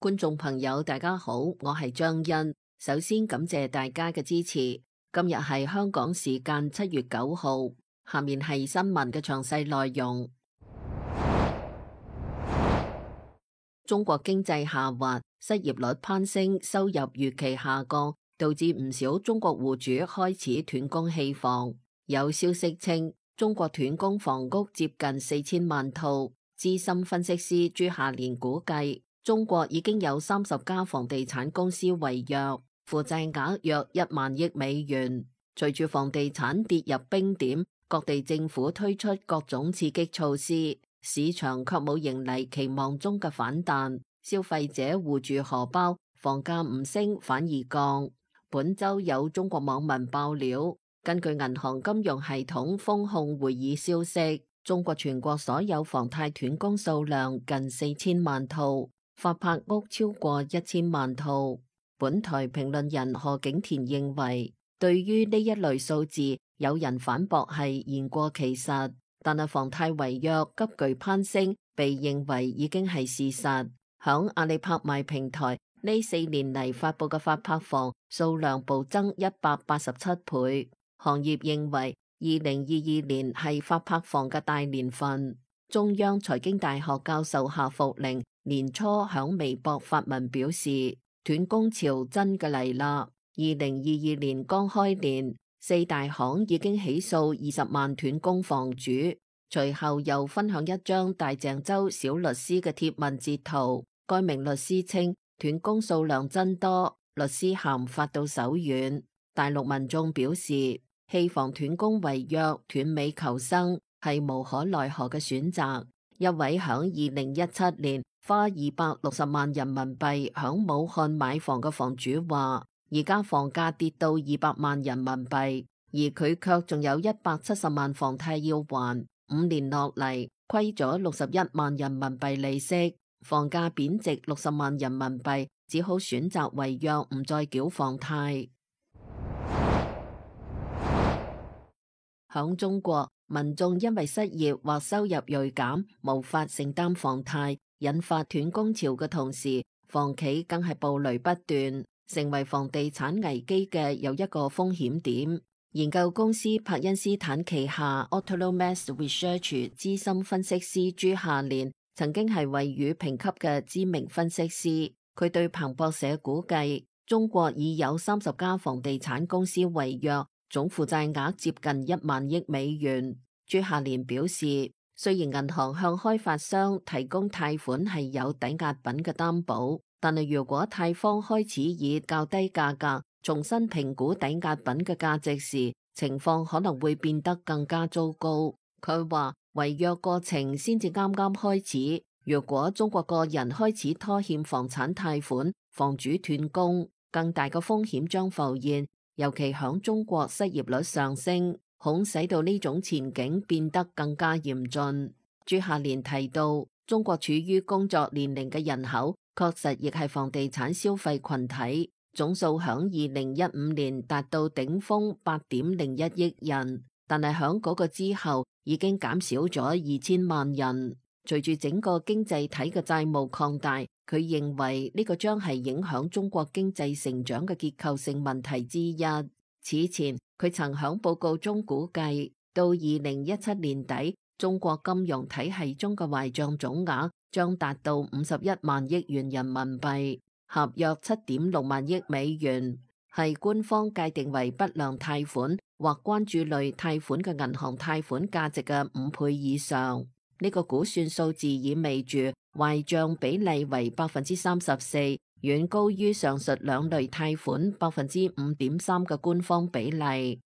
觀眾朋友，大家好，我係張欣。首先感謝大家嘅支持。今日係香港時間7月9號，下面係新聞嘅詳細內容。中國經濟下滑，失業率攀升，收入預期下降，導致唔少中國戶主開始斷供棄房。有消息稱，中國斷供房屋接近4000萬套。資深分析師朱夏連估計，中國已經有30家房地產公司違約，負債額約1萬億美元。隨住房地產跌入冰點，各地政府推出各種刺激措施，市場卻冇迎嚟期望中嘅反彈。消費者護住荷包，房價唔升反而降。本周有中國網民爆料，根據銀行金融系統風控會議消息，中國全國所有房貸斷供數量近4000萬套，發拍屋超過1000萬套。本台評論人何景田認為，對於呢一類數字，有人反駁係言過其實，但係房貸違約急劇攀升，被認為已經係事實。響阿里拍賣平台呢4年嚟發佈嘅發拍房數量暴增187倍，行業認為2022年係發拍房嘅大年份。中央財經大學教授夏福寧年初響微博發文表示，斷供潮真嘅嚟啦！2022年剛開年，4大行已經起訴20萬斷供房主。隨後又分享一張大鄭州小律師嘅貼文截圖，該名律師稱斷供數量真多，律師函發到手軟。大陸民眾表示，棄房斷供違約斷尾求生係無可奈何嘅選擇。一位響2017年花260萬人民幣響武漢買房嘅房主話，而家房價跌到200萬人民幣，而佢卻仲有170萬房貸要還，5年落嚟虧咗61萬人民幣利息，房價貶值60萬人民幣，只好選擇違約唔再繳房貸。響中國，民眾因為失業或收入銳減，無法承擔房貸，引發斷供潮嘅同時，房企更係暴雷不斷，成為房地產危機嘅又一個風險點。研究公司柏恩斯坦旗下 Autonomous Research 資深分析師朱夏連曾經係惠譽評級嘅知名分析師，佢對彭博社估計，中國已有30家房地產公司違約，總負債額接近1萬億美元。朱夏連表示，雖然銀行向開發商提供貸款係有抵押品嘅擔保，但係如果貸方開始以較低價格重新評估抵押品嘅價值時，情況可能會變得更加糟糕。佢話，違約過程先至啱啱開始，如果中國個人開始拖欠房產貸款，房主斷供，更大嘅風險將浮現，尤其響中國失業率上升，恐使到呢種前景變得更加嚴峻。朱夏連提到，中國處於工作年齡嘅人口確實亦係房地產消費群體，總數響2015年達到頂峰8.01億人，但係響嗰個之後已經減少咗2000萬人。隨住整個經濟體嘅債務擴大，佢認為呢個將係影響中國經濟成長嘅結構性問題之一。此前佢曾響報告中估計，到2017年底，中國金融體系中嘅壞賬總額將達到51萬億元人民幣，合約7.6萬億美元，係官方界定為不良貸款或關注類貸款嘅銀行貸款價值嘅5倍以上。呢個估算數字意味住壞賬比例為34%，遠高於上述兩類貸款5.3%嘅官方比例。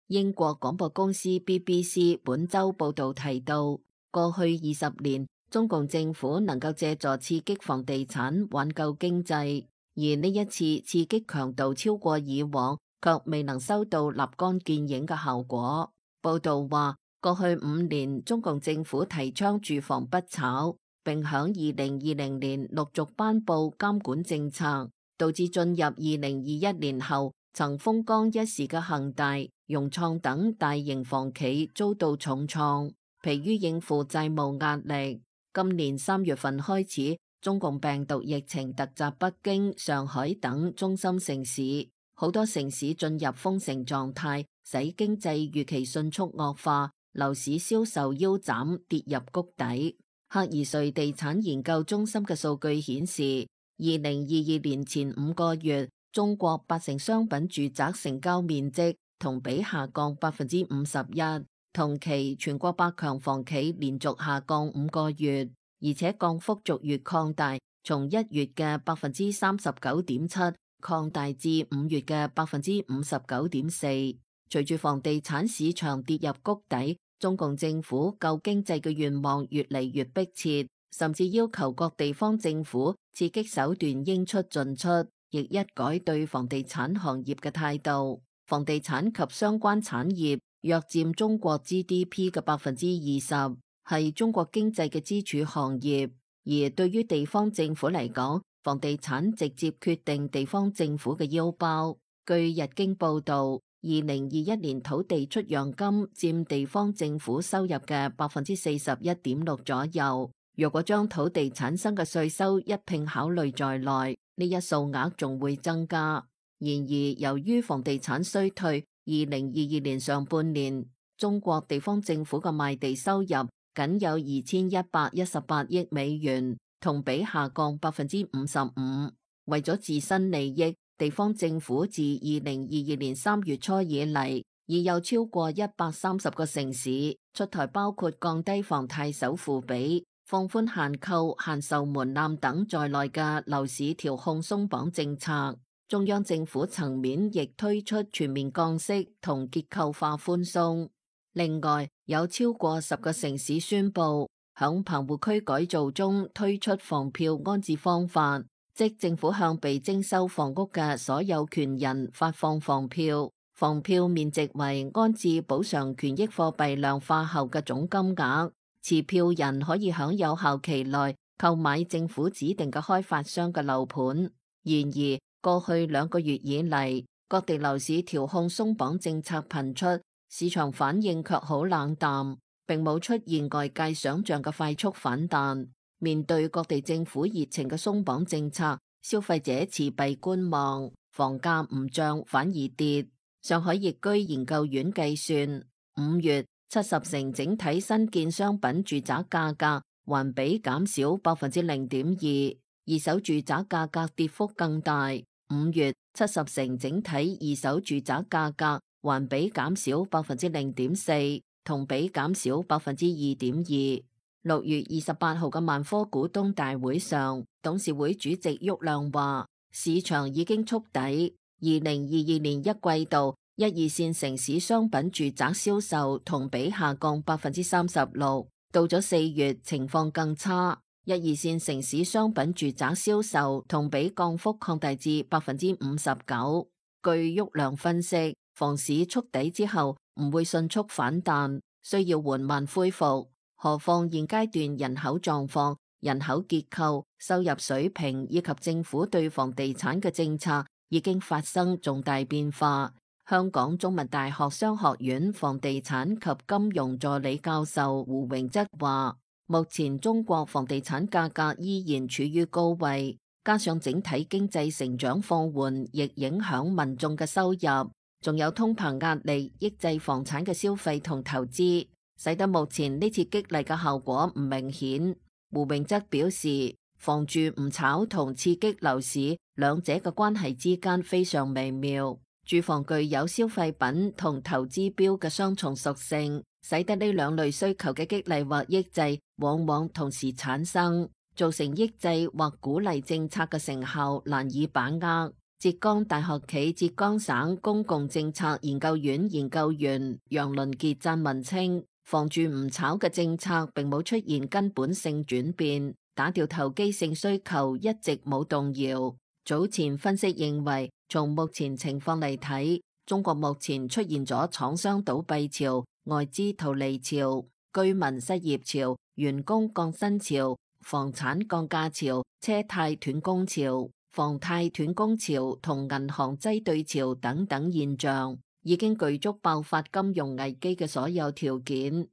英國廣播公司 BBC 本周報道提到，過去20年，中共政府能夠借助刺激房地產挽救經濟，而呢一次刺激強度超過以往，卻未能收到立竿見影嘅效果。報道話，過去5年，中共政府提倡住房不炒，並響2020年陸續頒布監管政策，導致進入2021年後，曾風光一時嘅恒大、融創等大型房企遭到重創，疲於應付債務壓力。今年3月份開始，中共病毒疫情突襲北京、上海等中心城市，好多城市進入封城狀態，使經濟預期迅速惡化，樓市銷售腰斬，跌入谷底。赫爾瑞地產研究中心嘅數據顯示，2022年前5個月，中國8成商品住宅成交面積同比下降51%，同期全國百強房企連續下降5個月，而且降幅逐月擴大，從1月嘅39.7%擴大至5月嘅59.4%。隨住房地產市場跌入谷底，中共政府救經濟嘅願望越嚟越迫切，甚至要求各地方政府刺激手段應出盡出，亦一改對房地產行業嘅態度。房地產及相關產業約佔中國 GDP 嘅20%，係中國經濟嘅支柱行業。而對於地方政府嚟講，房地產直接決定地方政府嘅腰包。據日經報導，2021年土地出讓金佔地方政府收入嘅41.6%左右。若果將土地產生嘅稅收一併考慮在內，呢一數額仲會增加。然而，由於房地產衰退，2022年上半年中國地方政府嘅賣地收入僅有2118億美元，同比下降55%。為咗自身利益，地方政府自2022年3月初以嚟，已有超過130個城市出台包括降低房貸首付比、放寬限購、限售門檻等在內嘅樓市調控鬆綁政策。中央政府層面亦推出全面降息同結構化寬鬆。另外，有超過10個城市宣布響棚戶區改造中推出房票安置方法，即政府向被徵收房屋嘅所有權人發放房票，房票面值為安置補償權益貨幣量化後嘅總金額，持票人可以喺有效期內購買政府指定嘅開發商嘅樓盤。然而，過去2個月以嚟，各地樓市調控鬆綁政策頻出，市場反應卻好冷淡，並冇出現外界想象嘅快速反彈。面對各地政府熱情嘅鬆綁政策，消費者持幣觀望，房價唔漲反而跌。上海易居研究院計算，5月70成整體新建商品住宅價格環比減少0.2%，二手住宅價格跌幅更大。5月70成整體二手住宅價格環比減少0.4%，同比減少2.2%。6月28號嘅萬科股東大會上，董事會主席郁亮話，市場已經觸底。2022年1季度，1、2線城市商品住宅銷售同比下降36%，到咗4月情況更差。1、2線城市商品住宅銷售同比降幅擴大至59%。據郁亮分析，房市觸底之後唔會迅速反彈，需要緩慢恢復。何況現階段人口狀況、人口結構、收入水平以及政府對房地產嘅政策已經發生重大變化。香港中文大學商學院房地產及金融助理教授胡榮則話，目前中國房地產價格依然處於高位，加上整體經濟成長放緩，亦影響民眾嘅收入，仲有通膨壓力抑制房產嘅消費同投資，使得目前呢次激勵嘅效果唔明顯。胡榮則表示，房住唔炒同刺激樓市兩者嘅關係之間非常微妙，住房具有消費品同投資標嘅雙重屬性，使得呢兩類需求嘅激勵或抑制往往同時產生，造成抑制或鼓勵政策嘅成效難以把握。浙江大學暨浙江省公共政策研究院研究員楊倫傑撰文稱，房住唔炒嘅政策並冇出現根本性轉變，打掉投機性需求一直冇動搖。早前分析認為，從目前情況嚟睇，中國目前出現咗廠商倒閉潮、外資逃離潮、居民失業潮、員工降薪潮、房產降價潮、車貸斷供潮、房貸斷供潮同銀行擠兌潮等等現象，已經具足爆發金融危機嘅所有條件。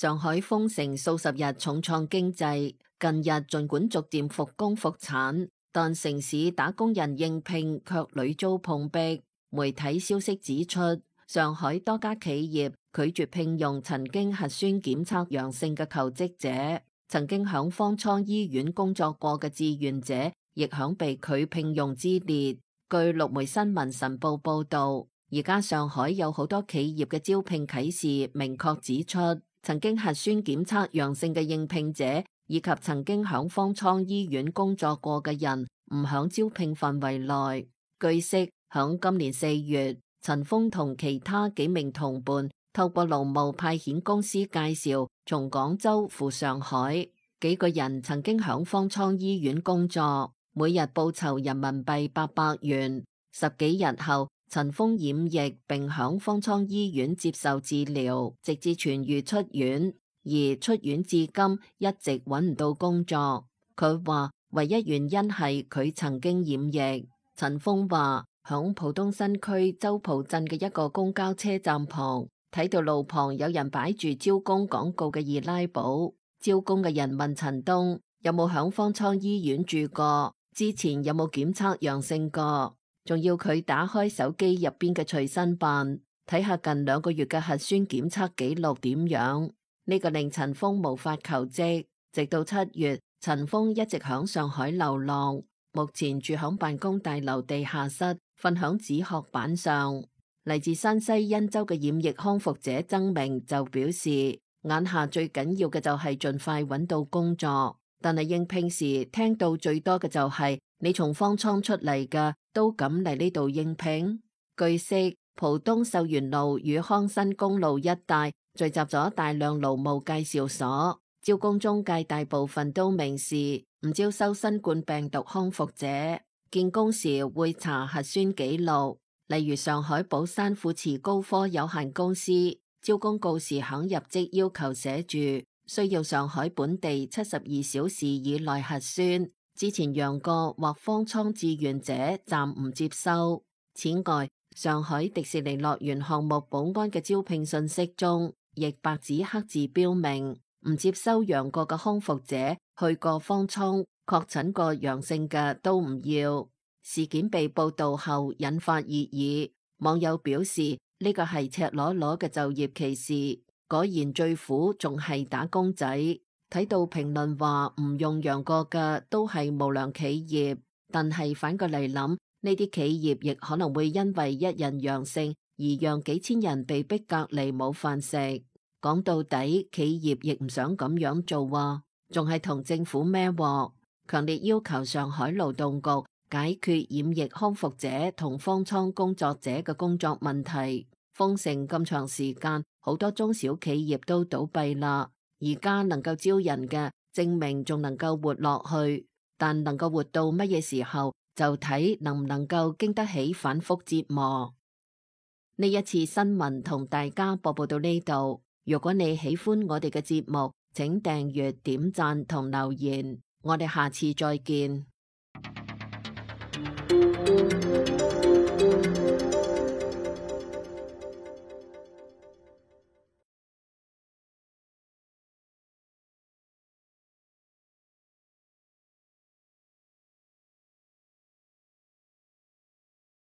上海封城數十日重創經濟，近日儘管逐漸復工復產，但城市打工人應聘卻屢遭碰壁。媒體消息指出，上海多家企業拒絕聘用曾經核酸檢測陽性嘅求職者，曾經響方艙醫院工作過嘅志願者亦響被拒聘用之列。據陸媒新聞晨報報道，而家上海有好多企業嘅招聘啟事明確指出，曾經核酸檢測陽性嘅應聘者以及曾經響方艙醫院工作過嘅人唔響招聘範圍內。據悉，響今年4月，陳鋒同其他幾名同伴透過勞務派遣公司介紹從廣州赴上海，幾個人曾經響方艙醫院工作，每日報酬人民幣800元。10幾日後，陳鋒染疫並響方艙醫院接受治療，直至痊愈出院，而出院至今一直揾唔到工作。佢話唯一原因係佢曾經染疫。陳鋒話響浦東新區周浦鎮嘅一個公交車站旁，睇到路旁有人擺住招工廣告嘅易拉寶，招工嘅人問陳東有冇響方艙醫院住過，之前有冇檢測陽性過。仲要佢打開手機入邊嘅隨身辦，睇下近2個月嘅核酸檢測記錄點樣。呢個令陳鋒無法求職，直到7月，陳鋒一直響上海流浪，目前住響辦公大樓地下室，瞓響紙殼板上。嚟自山西忻州嘅染疫康復者曾明就表示，眼下最緊要嘅就係盡快揾到工作，但係應聘時聽到最多嘅就係你從方艙出嚟嘅都敢嚟呢度應聘。據悉，浦東秀園路與康新公路一帶聚集咗大量勞務介紹所，招工中介大部分都明示唔招收新冠病毒康復者，見工時會查核酸記錄。例如上海寶山富慈高科有限公司招工告示響入職要求寫住需要上海本地72小時以內核酸，之前陽過或方艙志願者暫唔接收。此外，上海迪士尼樂園項目保安嘅招聘信息中，亦白紙黑字標明唔接收陽過嘅康復者，去過方艙確診過陽性嘅都唔要。事件被報道後引發熱議，網友表示呢個係赤裸裸嘅就業歧視，果然最苦仲係打工仔。睇到評論話唔用陽過嘅都係無良企業，但係反過嚟諗，呢啲企業亦可能會因為一人陽性而讓幾千人被逼隔離冇飯食。講到底，企業亦唔想咁樣做啊，仲係同政府孭鑊，強烈要求上海勞動局解決染疫康復者同方艙工作者嘅工作問題。封城咁長時間，好多中小企業都倒閉啦。而家能夠招人嘅，證明仲能夠活落去，但能夠活到乜嘢時候，就睇能唔能夠經得起反覆折磨。呢一次新聞同大家播報到呢度。如果你喜歡我哋嘅節目，請訂閱、點讚同留言。我哋下次再見。